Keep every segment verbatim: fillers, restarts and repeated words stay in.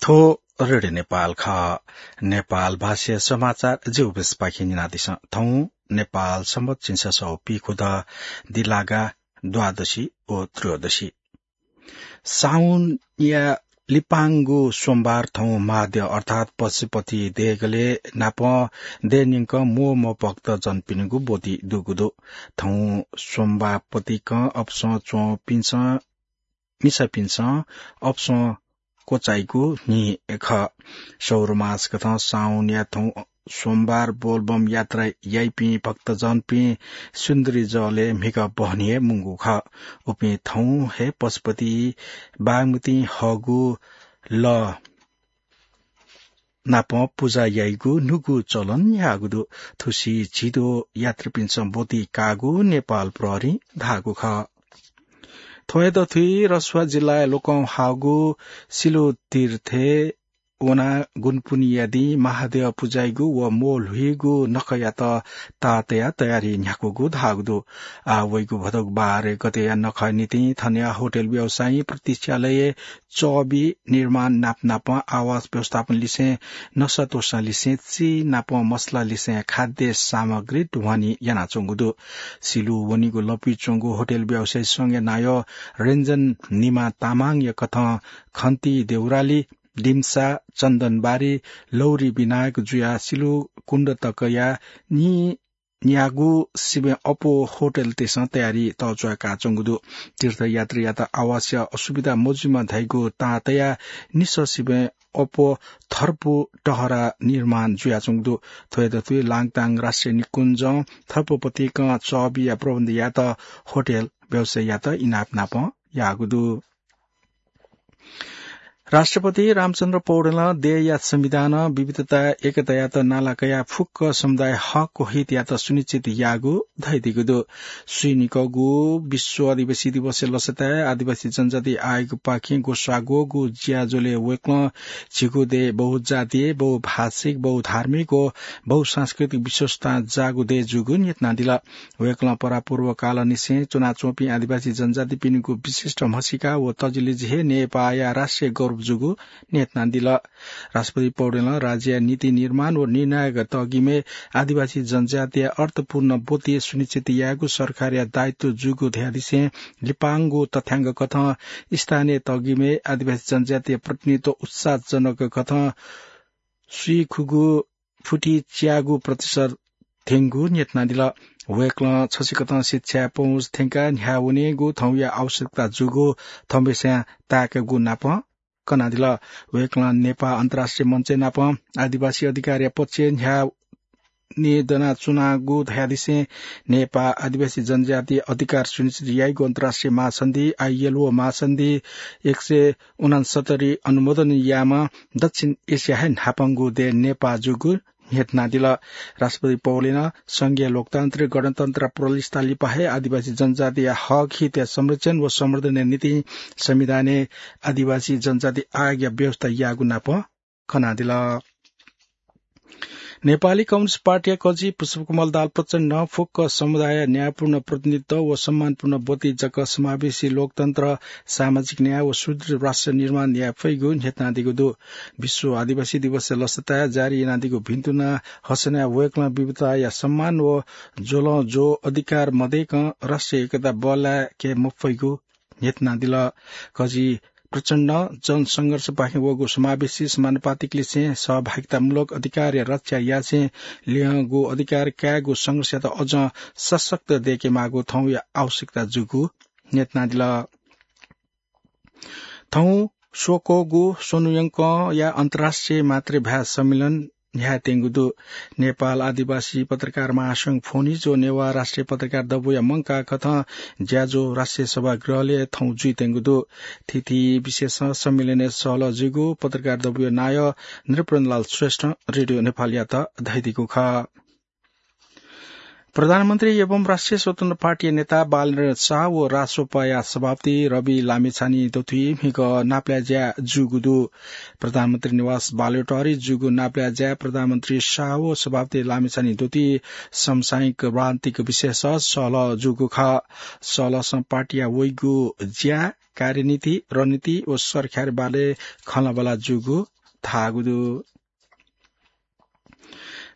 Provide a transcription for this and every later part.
थ्व रेडियो नेपाल खः। नेपाल भाषाया समाचार ज्यू बेसपाखे न्यनादिसँ। थौं नेपाल संवत झिंछसः पीखुदँ दिलागा द्वादशी व त्रयोदशी। साउनया लिपांगु सोमबार थौं महाद्यः अर्थात् पशुपति देगलय् नापं देय्‌न्यंक म्वःम्वः भक्तजनपिनिगु ब्वति दुगु दु। थौं सोमबार पतिकं अपसं च्वंपिन्सं मिसापिन्सं अपसं क्वचाइगु न्हि खः। सौर मासकथं साउनया थौं सोमबार बोलबम यात्रा याइपिं भक्तजनपिं सुन्दरी जलय् म्हिगः बहनी हे मुंगु खः। उपिं थौं हे पशुपति बागमती हःगु लः नापं पुजा याइगु न्हूगु चलन न्ह्याःगु दु। थुसी झिद्वः यात्रीपिन्सं ब्वति काःगु नेपाल प्रहरीं धाःगु खः। थ्व हे दथुइ रसुवा जिल्लाया लोकंह्वाःगु सिलु तीर्थय् वनाः गुनपुनिया दिं महाद्यः पुजाइगु व म्वःल्हुइगु नखःयात ताः तयाः तयारी न्ह्याकूगु धाःगु दु। आः वइगु भदौ बाह्र गतेया नखःया निंतिं थनया होटल व्यवसायीं प्रतीक्षालयय् चःबि निर्माण नापनापं आवास व्यवस्थापन लिसें नसा त्वःसा लिसें चिनापं मसला लिसें खाद्य सामग्री ढुवानी यानाच्वंगु दु। सिलु वनीगु लँपुइ च्वंगु होटल व्यवसायी संघया नायः रञ्जन निमा तामाङया कथं खन्ती देउराली, दिम्सा, चन्दनबारी, लौरी विनायक जुयाः सिलु कुण्ड तकया नि न्यागू सिबें अप्वः होटलतय्सं तयारी तःच्वया काःच्वंगु दु। तीर्थयात्रीयात आवासया असुविधा मजुइमा धइगु ताः तयाः निसः सिबें अप्वः थर्पु टहरा निर्माण जुयाच्वंगु दु। थ्व हे दथुइ लाङताङ राष्ट्रिय निकुञ्जं थर्पु पतिकं चःबिया प्रबन्ध यायेत होटल व्यवसायीयात इनाप नापं याःगु दु। राष्ट्रपति रामचन्द्र पौडेलं देय्‌या संविधानं विविधताय् एकतायात नाला कयाः फुक्क समुदाय हक व हितयात सुनिश्चित याःगु धयादीगु दु। स्वीनिकःगु विश्व आदिवासी दिवसया लसताय् आदिवासी जनजाति आयोगपाखें ग्वसाः ग्वःगु ज्याझ्वलय् वय्‌कलं झीगु देय् बहुजातीय, बहुभाषिक, बहुधार्मिक व बहुसांस्कृतिक विशेषतां जाःगु देय् जूगु न्ह्यथनादिल। वय्‌कलं परापूर्वकालंनिसें च्वनाच्वंपिं आदिवासी जनजातिपिनिगु विशिष्ट म्हसीका व तजिलजि हे नेपाःया राष्ट्रिय गौरव जूगु न्ह्यथनादिल। राष्ट्रपति पौडेलं राज्यया नीति निर्माण व निर्णायक तःगिमय् आदिवासी जनजातिया अर्थपूर्ण ब्वति सुनिश्चित यायेगु सरकारया दायित्व जूगु धयादिसें लिपांगु तथ्यांक कथं स्थानीय तःगिमय् आदिवासी जनजातिया प्रतिनिधित्व उत्साहजनक कथं स्वीखुगु फुति च्यागू प्रतिशत थ्यंगु न्ह्यथनादिल। वय्‌कलं छसिकथं शिक्षाया पहुँच थ्यंकाः न्ह्याः वनेगु थौंया आवश्यकता जूगु थौंबसयां ताय्‌कागु नापं कनादिल। वय्‌कलं नेपाः अन्तर्राष्ट्रिय मञ्चय् नापं आदिवासी अधिकारया पक्षय् न्ह्याः न्ये दनाच्वनागु धयादिसें नेपाः आदिवासी जनजाति अधिकार सुनिश्चित याइगु अन्तर्राष्ट्रिय महासन्धि, आईएलओ महासन्धि एक सय उनसत्तरी अनुमोदन याःम्ह दक्षिण एसिया हे न्हापांगु देय् नेपाः जूगु न्ह्यथनादिल। राष्ट्रपति पौडेलं संघीय लोकतन्त्र, गणतन्त्र र प्रोलिस्ता लिपा हे आदिवासी जनजातिया हक हितया संरक्षण व संवर्धनया निंतिं संविधानय् आदिवासी जनजाति आयोगया व्यवस्था याःगु नापं कनादिल। नेपाली कम्युनिस्ट पार्टीया कजि पुष्पकमल दाहाल प्रचण्डं फुक्क समुदायया न्यायपूर्ण प्रतिनिधित्व व सम्मानपूर्ण ब्वति जक समावेशी लोकतन्त्र, सामाजिक न्याय व सुदृढ राष्ट्र निर्माण याये फइगु न्ह्यथनादीगु दु। विश्व आदिवासी दिवसया लसताय् जारी यानादीगु भिन्तुना हसनाय् वय्‌कलं विविधताया सम्मान व ज्वलं ज्वः अधिकार मदय्‌कं राष्ट्रिय एकता बल्लाय्‌के मफइगु न्ह्यथनादिल। कजि प्रचण्डं जनसंघर्षपाखें वःगु समावेशी समानुपातिक लिसें सहभागितामूलक अधिकारया रक्षा यासें लिहांगु अधिकार कायेगु संघर्षयात अझं सशक्त दय्‌केमाःगु थौंया आवश्यकता जूगु न्ह्यथनादिल। थौं स्वक्वःगु स्वन्हु यंकंया अन्तर्राष्ट्रिय मातृभाय् सम्मेलन न्ह्यायेत्यंगु दु। नेपाल आदिवासी पत्रकार महासंघ फोनिज व नेवाः राष्ट्रिय पत्रकार दबूया मंकाः कथं ज्याझ्वः राष्ट्रिय सभागृहलय् थौं जुइत्यंगु दु। थीथी विषयसं सम्मेलनय् सहलह जूगु पत्रकार दबूया नायः नृपेन्द्रलाल श्रेष्ठं रेडियो नेपालयात धयादीगु खः। प्रधानमन्त्री एवं राष्ट्रिय स्वतन्त्र पार्टीया नेता बालेन्द्र शाह व रासोपाया सभापति रवि लामिछाने दथुइ म्हिगः नापलाये ज्या जूगु दु। प्रधानमन्त्री निवास बालुवाटारय् जूगु नापलाये ज्याय् प्रधानमन्त्री शाह व सभापति लामिछाने दथुइ समसामयिक रणनीतिक विषयसं सहलह जूगु खः। सहलहसं पार्टीया वइगु ज्या, कार्यनीति, रणनीति व सरकारबारे खँल्हाबल्हा जूगु धाःगु दु।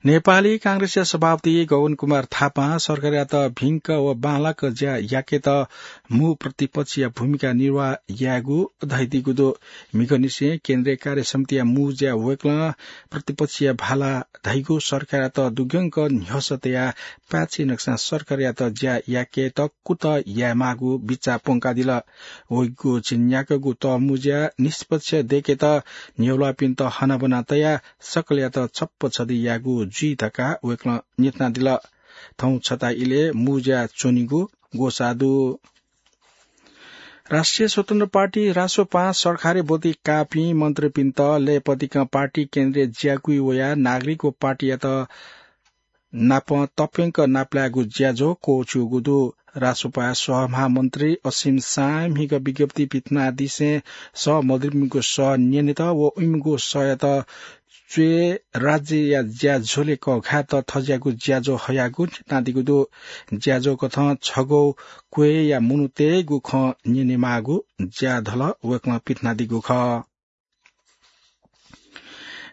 नेपाली कांग्रेसया सभापति गगन कुमार थापां सरकारयात भिंक व बांलाक ज्या याकेत मू प्रतिपक्षया भूमिका निर्वाह यायेगु धयादीगु दु। म्हिगःनिसें केन्द्रीय कार्य समितिया मू ज्या वय्कलं प्रतिपक्षया भाला धइगु सरकारयात दुग्यंक न्ह्यसः तयाः पाय्छि नकसां सरकारयात ज्या याकेत कुतः यायेमाःगु बिचाः प्वंकादिल। वइगु झिंन्याक्वःगु तःमू ज्या निष्पक्ष दयेकेत न्ह्यब्वयापिन्त हनाबना तयाः सकलयात छप्पा छधी यायेगु जुइ धकाः वय्कलं न्ह्यथनादिल। थौं छता इलय् मू ज्या च्वनीगु ग्वसाः दु। राष्ट्रिय स्वतन्त्र पार्टी रासोपां सरकारय् ब्वति काःपिं मन्त्रीपिन्त लय्पतिकं पार्टी केन्द्रय् ज्याकुइ वयाः नागरिक व पार्टीयात नाप तप्यंक नापलायेगु ज्याझ्वः क्वःछ्यूगु दु। रासोपाया सहमहामन्त्री असीम शाहं म्हिगः विज्ञप्ति पिथनादिसें सहमन्त्रीपिनिगु सः न्यनेत व इमिगु सःयात च्वय् राज्यया ज्याझ्वलय् कःघायेत थज्याःगु ज्याझ्वः हयागु न्ह्यथनादीगु दु। ज्याझ्वःकथं छगू क्वय्या मनूतय्गु खँ न्यनेमाःगु ज्याझ्वः वय्कलं पिथनादीगु खः।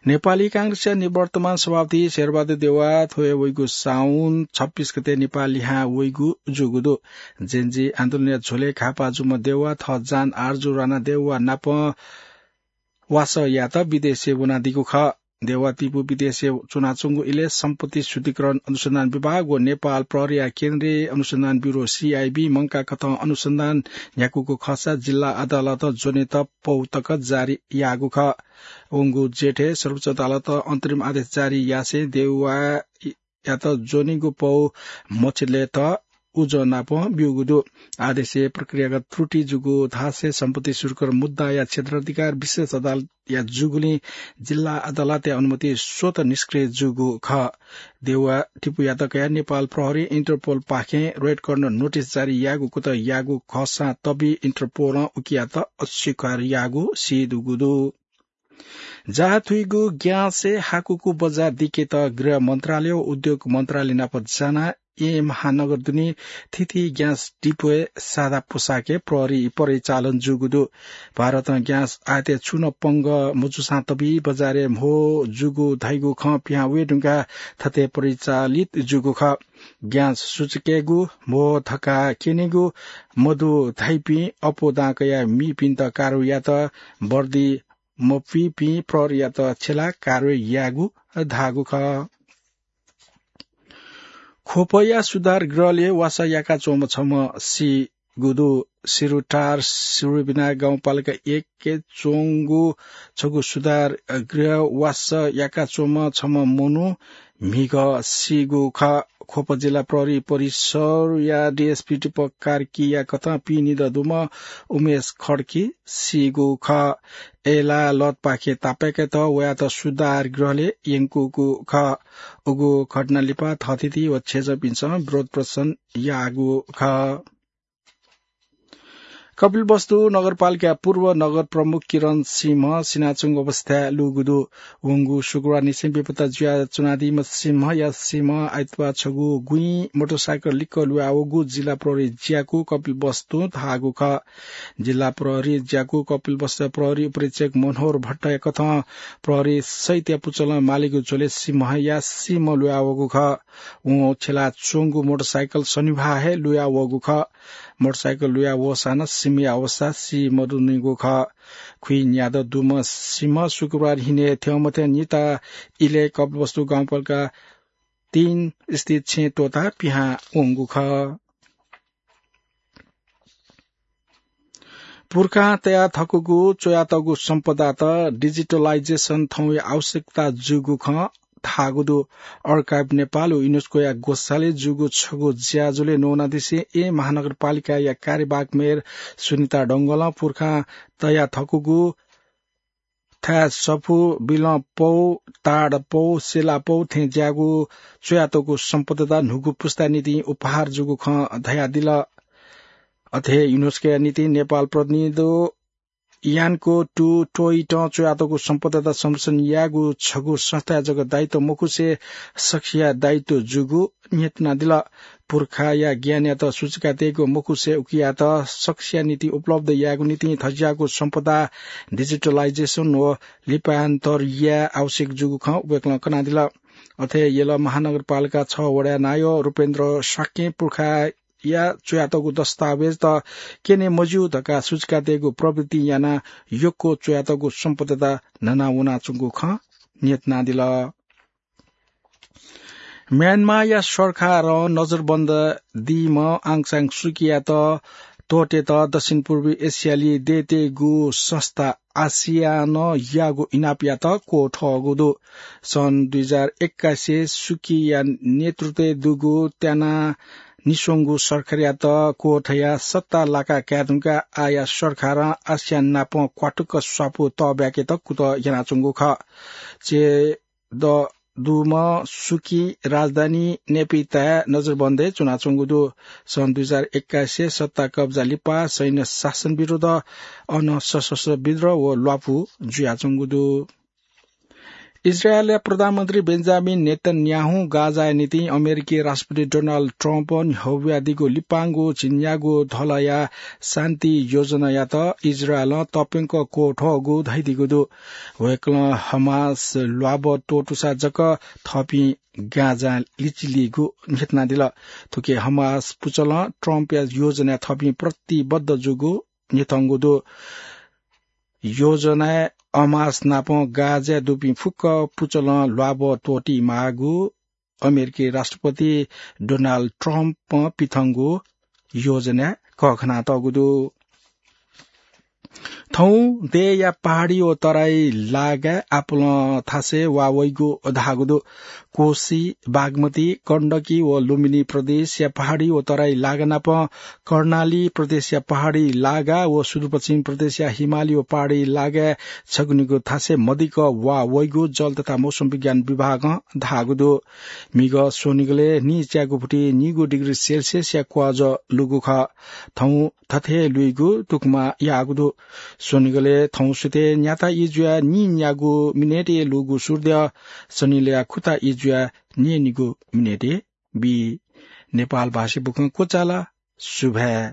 नेपाली कांग्रेसया निवर्तमान सभापति शेरबहादुर देउवा थ्व हे वइगु साउन छब्बीस गते नेपाः लिहां वइगु जूगु दु। जेनजी आन्दोलनया झ्वलय् घाःपाः जूम्ह देउवा थः जान आरजु राणा देउवा नाप वासः यायेत विदेशय् वनादीगु खः। देउवा तिपू विदेशय् च्वनाच्वंगु इलय् सम्पत्ति शुद्धिकरण अनुसन्धान विभाग व नेपाल प्रहरीया केन्द्रीय अनुसन्धान ब्यूरो, सीआईबी, मंकाःकथं अनुसन्धान न्ह्याकूगु खःसा जिल्ला अदालतं ज्वनेत पौ तक जारी याःगु खः। वंगु जेठय् सर्वोच्च अदालतं अन्तरिम आदेश जारी यासें देउवायात ज्वनेगु पौ मछिलेत उजं नाप ब्यूगु दु। आदेशय् प्रक्रियागत त्रुटि जूगु धासें सम्पत्ति शुद्धिकरण मुद्दाया क्षेत्राधिकार विशेष अदालतया जूगुलिं जिल्ला अदालतया अनुमति स्वतः निष्क्रिय जूगु खः। देउवा तिपूयात कयाः नेपाल प्रहरीं इन्टरपोलपाखें रेड कर्नर नोटिस जारी याःगु कुतः याःगु खःसां तबि इन्टरपोलं उकियात अस्वीकार याःगु सीदुगु दु। जाः थुइगु ग्याँसय् हाकुगु बजार दिकेत गृह मन्त्रालय व उद्योग मन्त्रालय नाप जानाः येँ महानगर दुने थीथी ग्याँस डिपोय् सादा पोशाकय् प्रहरी परिचालन जूगु दु। भारतं ग्याँस आयातय् छुं नं पंगः मजूसां तबि बजारय् म्हो जूगु धइगु खँ पिहां वये धुंकाः थथे परिचालित जूगु खः। ग्याँस सुचुकेगु, म्हो थकाः क्यनेगु मदु धइपिं अप्वः दां कयाः मीपिन्त कारवाही यात। वर्दी मपुइपिं प्रहरीयात छ्यलाः कारवाही यायेगु धाःगु खः। ख्वपया सुधार गृहलय् वासः याकाच्वंम्ह छम्ह सीगु दु। सिरुटार सिरुबिना गाउँपालिका एकय् च्वंगु छगू सुधार गृह वासः याकाच्वंम्ह छम्ह मनू म्हिगः सीगु खः। ख्वप जिल्ला प्रहरी परिसरया डीएसपी दीपक कार्कीया कथं पिइनिदँ दुम्ह उमेश खड्की सीगु खः। अय्लाः लतपाखे तापाय्केत वयात सुधार गृहलय् यंकूगु खः। उगु घटना लिपा थःथिति व छेँजःपिन्सं विरोध प्रदर्शन याःगु खः। कपिलवस्तु नगरपालिका पूर्व नगर प्रमुख किरण सिंह सिनाच्वंगु अवस्थाय् लूगु दु। वंगु शुक्रबारनिसें बेपत्ता जुयाच्वनादीम्ह सिंहया सिंह आइतबार छगू गुँइ मोटरसाइकल लिक्क लुयावःगु जिल्ला प्रहरी ज्याकू कपिलवस्तुं धाःगु खः। जिल्ला प्रहरी ज्याकू कपिलवस्तु प्रहरी उपरीक्षक मनोहर भट्टया कथं प्रहरी सहितया पुचलं मालीगु झ्वलय् सिंहया सिंह लुयावःगु खः। वं छ्यलाच्वंगु मोटरसाइकल शनिबाः हे लुयावःगु खः। मोटरसाइकल लुयावःसां नं सिंहया अवस्था सी मदुनिगु खः। खुइन्यादँ दुम्ह सिंह शुक्रबार न्हिनय् थ्यंमथ्यं निता इलय् कपिलवस्तु गाउँपालिका तीन स्थित छेँ त्वःताः पिहां वंगु खः। पुर्खां तयाथकूगु च्वयातःगु सम्पदात digitalization थौंया आवश्यकता जूगु खँ धाःगु दु। Archive Nepal व युनेस्कोया ग्वसालय् जूगु छगू ज्याझ्वलय् न्वनादिसें येँ महानगरपालिकाया कार्यवाहक मेयर सुनिता डंगोलं पुर्खां तयाथकूगु थाय् सफू, बिलं पौ, ताड पौ, सेला पौ थें ज्याःगु च्वयातःगु सम्पदात न्हूगु पुस्ताया निंतिं उपहार जूगु खँ धयादिल। अथे हे युनेस्कोया निंतिं नेपाल प्रतिनिधि यानको टु टोइटं च्वयातःगु सम्पदात संरक्षण यायेगु छगू संस्थाया जक दायित्व मखुसे सकसिया दायित्व जूगु न्ह्यथनादिल। पुर्खाया ज्ञानयात सुचुकातयेगु मखुसे उकियात सकसिया निंतिं उपलब्ध यायेगु निंतिं थज्याःगु सम्पदा digitalization व लिप्यान्तर याये आवश्यक जूगु खँ वय्कलं कनादिल। अथे यल महानगरपालिका छ वडाया नायः रूपेन्द्र शाक्यं पुर्खाया च्वयातःगु दस्तावेजत क्यने मज्यू धकाः सुचुकातयेगु प्रवृत्ति यानाः यक्व च्वयातःगु सम्पदात न्हना वनाच्वंगु खँ न्ह्यथनादिल। म्यानमारया सरकारं नजरबन्द दीम्ह आङ सान सुकीयात त्वःतेत दक्षिण पूर्वी एसियाली देय्‌तय्‌गु संस्था आसियानं याःगु इनापयात क्वथःगु दु। सन् दुई हजार एक्काइसय् सुकीया नेतृत्वय् दुगु त्यानानिस्वंगु सरकारयात क्वथयाः सत्ता लाका काये धुंकाः आःया सरकारं आसियान नाप क्वातुक स्वापू तःब्याकेत कुतः यानाच्वंगु खः। चे द दुम्ह सुकी राजधानी नेपिताय् नजरबन्दय् च्वनाच्वंगु दु। सन् दुई हजार एक्काइसय् सत्ता कब्जा लिपा सैन्य शासन विरुद्ध अन सशस्त्र विद्रोह व ल्वापु जुयाच्वंगु दु। इजरायलया प्रधानमन्त्री बेन्जामिन नेतन्याहु गाजाया निंतिं अमेरिकी राष्ट्रपति डोनाल्ड ट्रम्पं न्ह्यब्वयादीगु लिपांगु झिंन्यागू धलया शान्ति योजनायात इजरायलं तप्यंक क्वथःगु धयादीगु दु। वय्कलं हमास ल्वाभः त्वःतूसा जक थःपिं गाजा लिचिलीगु न्ह्यथनादिल। थुकी हमास पुचलं ट्रम्पया योजनाय् थःपिं प्रतिबद्ध जूगु न्ह्यथंगु दु। योजनाय् हमास नाप गाजाय् दुपिं फुक्क पुचलं ल्वाभः त्वःती माःगु अमेरिकी राष्ट्रपति डोनाल्ड ट्रम्पं पिथंगु योजनाय् कःघानातःगु दु। थौं देय्‌या पहाडी व तराई लागाय् आपालं थासय् वा वइगु धाःगु दु। कोशी, बागमती, गण्डकी व लुम्बिनी प्रदेशया पहाडी व तराई लागा नाप कर्णाली प्रदेशया पहाडी लागा व सुदूरपश्चिम प्रदेशया हिमाली व पहाडी लागाय् छगू निगू थासय् मदिक्क वा वइगु जल तथा मौसम विज्ञान विभागं धाःगु दु। म्हिगः स्वनिगलय् नीच्यागू फुति नीगू डिग्री सेल्सियसया क्वज लूगु खः। थौं थथे लुइगु तुखमा याःगु दु। स्वनिगलय् थौं सुथय् न्याता ई जुयाः नीन्यागू मिनेटय् लूगु सूर्य शनिलया खुता ई जुयाः नीनिगू मिनेटय् बी। नेपाल भाषी बुखँ क्वचाल। सुभाय्।